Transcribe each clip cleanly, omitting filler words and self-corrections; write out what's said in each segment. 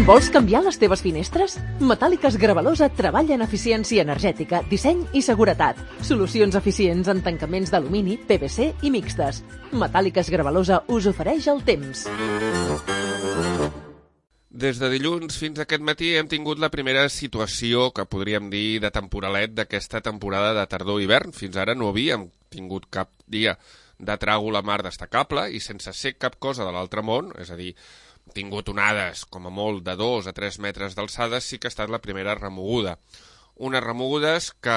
Vols canviar les teves finestres? Metàl·liques Gravalosa treballa en eficiència energètica, disseny i seguretat. Solucions eficients en tancaments d'alumini, PVC i mixtes. Metàl·liques Gravalosa us ofereix el temps. Des de dilluns fins aquest matí hem tingut la primera situació que podríem dir de temporalet d'aquesta temporada de tardor-hivern. Fins ara no havíem tingut cap dia de tràgol a mar destacable i sense ser cap cosa de l'altre món, és a dir, tingut onades com a molt de 2 a 3 metres d'alçada, sí que ha estat la primera remoguda. Unes remogudes que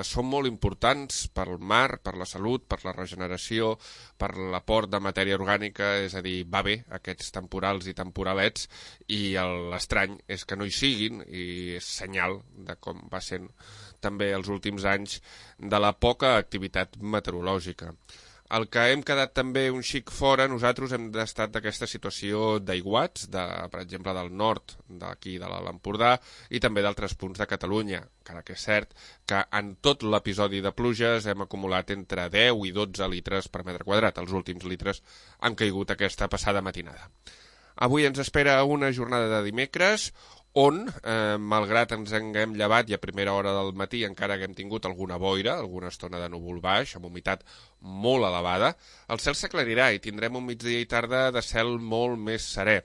són molt importants pel mar, per la salut, per la regeneració, per l'aport de matèria orgànica, és a dir, va bé aquests temporals i temporalets, i l'estrany és que no hi siguin, i és senyal de com va sent també els últims anys de la poca activitat meteorològica. El que hem quedat també un xic fora, nosaltres hem estat d'aquesta situació d'aiguats, per exemple, del nord, d'aquí de l'Empordà, i també d'altres punts de Catalunya, encara que és cert que en tot l'episodi de pluges hem acumulat entre 10 i 12 litres per metre quadrat. Els últims litres han caigut aquesta passada matinada. Avui ens espera una jornada de dimecres, on, malgrat ens haguem llevat i a primera hora del matí encara haguem tingut alguna boira, alguna estona de núvol baix, amb humitat molt elevada, el cel s'aclarirà i tindrem un migdia i tarda de cel molt més serè.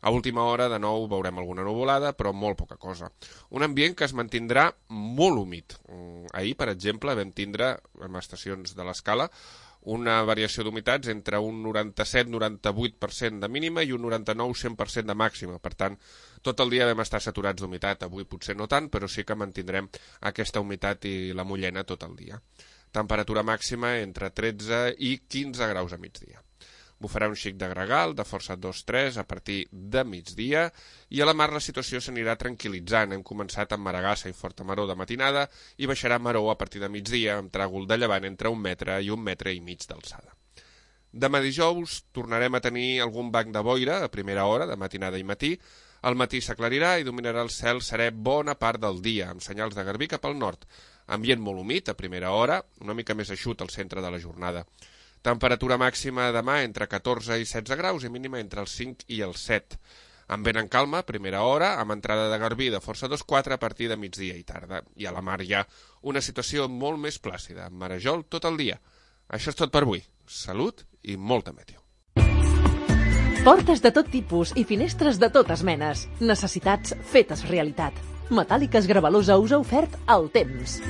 A última hora, de nou, veurem alguna nuvolada, però molt poca cosa. Un ambient que es mantindrà molt humit. Ahir, per exemple, vam tindre, en estacions de l'escala, una variació d'humitats entre un 97-98% de mínima i un 99-100% de màxima. Per tant, tot el dia vam estar saturats d'humitat. Avui potser no tant, però sí que mantindrem aquesta humitat i la mullena tot el dia. Temperatura màxima entre 13 i 15 graus a migdia. Bufarà un xic de gregal, de força 2-3 a partir de migdia, i a la mar la situació s'anirà tranquil·litzant. Hem començat amb maragassa i forta maror de matinada i baixarà maror a partir de migdia amb tràgol de llevant entre 1 metre i 1 metre i mig d'alçada. Demà dijous tornarem a tenir algun banc de boira a primera hora, de matinada i matí. Al matí s'aclarirà i dominarà el cel serè bona part del dia, amb senyals de garbí cap al nord. Ambient molt humit a primera hora, una mica més eixut al centre de la jornada. Temperatura màxima demà entre 14 i 16 graus i mínima entre els 5 i els 7. Amb vent en calma, primera hora, amb entrada de garbí de força 2-4 a partir de migdia i tarda. I a la mar hi ha una situació molt més plàcida, amb marejol tot el dia. Això és tot per avui. Salut i molta meteo. Portes de tot tipus i finestres de totes menes. Necessitats fetes realitat. Metàl·liques Gravalosa us ha ofert el temps.